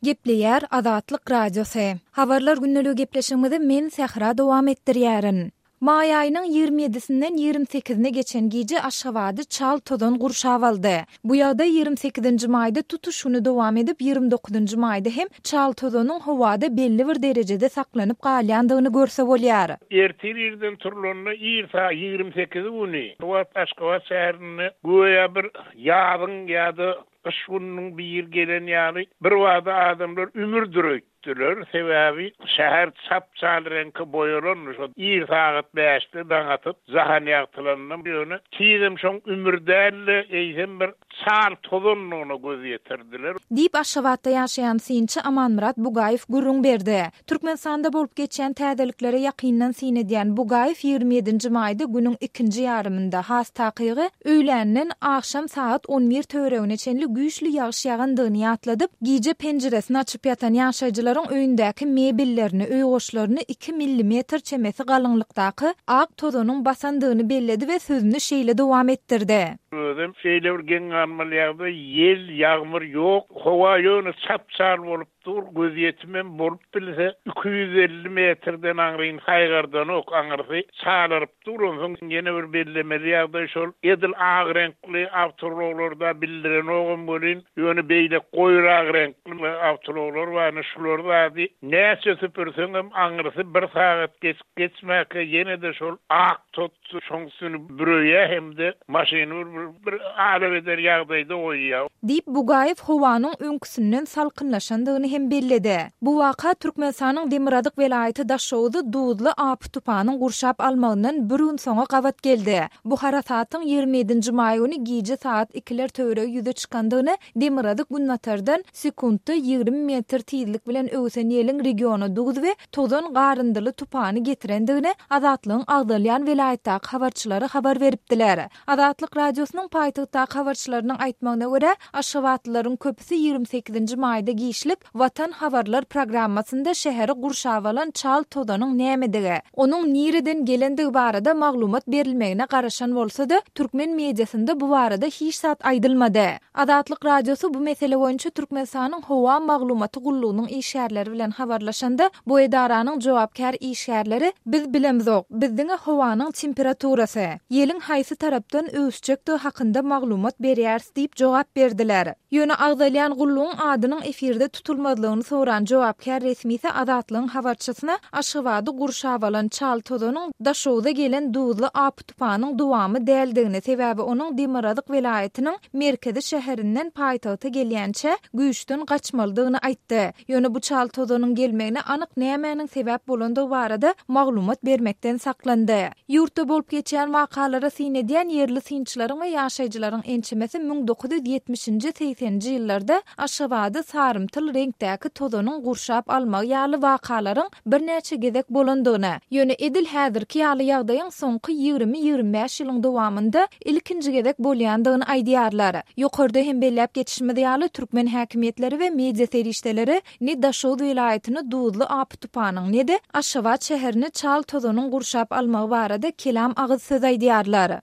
Gepleýär Azatlyk Radiosy. Habarlar gündeligi gepleşigimizi men Sähra dowam etdirýärin. Maý aýynyň 20 ýedisinden 28-ine geçen gije Aşgabady çal tozan gurşap aldy. Bu ýagdaý 28-nji maýda tutuş güni dowam edip, 29-njy maýda hem çal tozanyň howada belli bir derejede saklanyp galýandygyny görse bolýar. Ertir irden turlanda ir saat 28-i güni bu wagt Aşgabat şäherinde göýä bir ýazyň ýa-da Gyş gününiň biri gelen ýaly, birbada adamlar ümürdir öýtdüler. Sebäbi şäher çap-çal reňke boýalandy. Şo ir sagat bäşde daň atyp, jahan ýagtylanda, ýöne tizem şoň ümür däl-de, eýsem bir çal tozandygyna göz ýetirdiler. Diýip, Aşgabatda ýaşaýan synçy Amanmyrat Bugaýew gürrüň berdi. Türkmenistanda bolup geçýän täzeliklere ýakyndan syn edýän Bugaýew 27 nji maýda günüň ikinji ýarymynda, has takygy, öýländen agşam sagat on bir töweregine çenli güýçli ýagyş ýagandygyny ýatladyp, gije penjiresini açyp ýatan ýaşaýjylaryň öýündäki mebellerini, öý goşlaryny iki millimetr çemesi galyňlykdaky ak tozanyň basandygyny belledi we sözüni şeýle dowam etdirdi. Özem şeýle bir geň galmaly ýagdaý, ýel, ýagmyr ýok, howa ýöne çap-çal bolup Dur, gözýetimem bolup bilse, 250 metrden aňryny saýgardanok, aňyrsy çalaryp dur. Onsoň ýene bir bellemeli ýagdaý şol, edil ak reňkli awtoulaglarda bildirenogam welin, ýöne beýle goýrak reňkli awtoulaglar bar, ine şular zady näçe süpürseňem aňyrsy bir sagat geçip-geçmäkä ýene-de şol ak tot Şoň üstüni büreýär hem-de maşyny bir bir alabeder ýagdaýda goýýar. Diýip, Bugaýew howanyň öňküsinden salkynlaşandygyny hem belledi. Bu waka Türkmenistanyň demirgazyk welaýaty Daşoguzy duzly apy-tupanyň gurşap almagyndan bir gün soňa gabat geldi. Bu harasatyň 27 nji maý güni gije sagat ikiler töweregi ýüze çykandygyny demirgazyk-günbatardan sekuntda 20 metr tizlik bilen öwsen ýeliň regiona duz we tozan garyndyly tupany getirendigini Azatlygyň agzalýan welaýatdaky habarçylary habar beripdiler. Azatlyk Radiosynyň paýtagtdaky habarçylarynyň aýtmagyna görä, aşgabatlylaryň köpüsi 28 nji maýda giçlik Watan habarlar programmasynda şäheri gurşap alan çal tozanyň nämedigi, onuň nireden gelendigi barada maglumat berilmegine garaşan bolsa-da, türkmen mediasynda bu barada hiç zat aýdylmady. Azatlyk Radiosy bu mesele boýunça Türkmenistanyň Howa maglumaty gullugynyň işgärleri bilen habarlaşanda, bu edaranyň jogapkär işgärleri Biz bilemzok, biz diňe howanyň temperaturasy, ýeliň haýsy tarapdan öwüsjekdigi hakynda maglumat berýäris diýip jogap berdiler. Ýöne agzalýan gullugyň adynyň efirde tutulmazlygyny soran jogapkär resmisi Azatlygyň habarçysyna Aşgabady gurşap alan çal tozanyň Daşoguza gelen duzly apy-tupanyň dowamy däldigini, sebäbi onuň demirgazyk welaýatynyň merkezi şäherinden paýtagta gelýänçä güýçden gaçmalydygyny aýtdy. Ýöne bu çal tozanyň gelmegine anyk nämäniň sebäp bolandygy barada maglumat bermekden saklandy. Ýurtda bolup geçýän wakalara syn edýän ýerli synçylaryň we ýaşaýjylaryň ençemesi 1970-nji, segseninji ýyllarda Aşgabady sarymtyl reňkdäki tozanyň gurşap almagy ýaly wakalaryň birnäçe gezek bolandygyny, ýöne edil häzirki ýaly ýagdaýyň soňky 20-25 ýylyň dowamynda ilkinji gezek bolýandygyny aýdýarlar. Ýokarda hem belläp geçişimiz ýaly, türkmen häkimiýetleri we media serişdeleri ne Daşoguz welaýatyny duzly apy-tupanyň, ne-de Aşgabat şäherini çal tozanyň gurşap almagy barada kelam agyz söz aýdýarlar.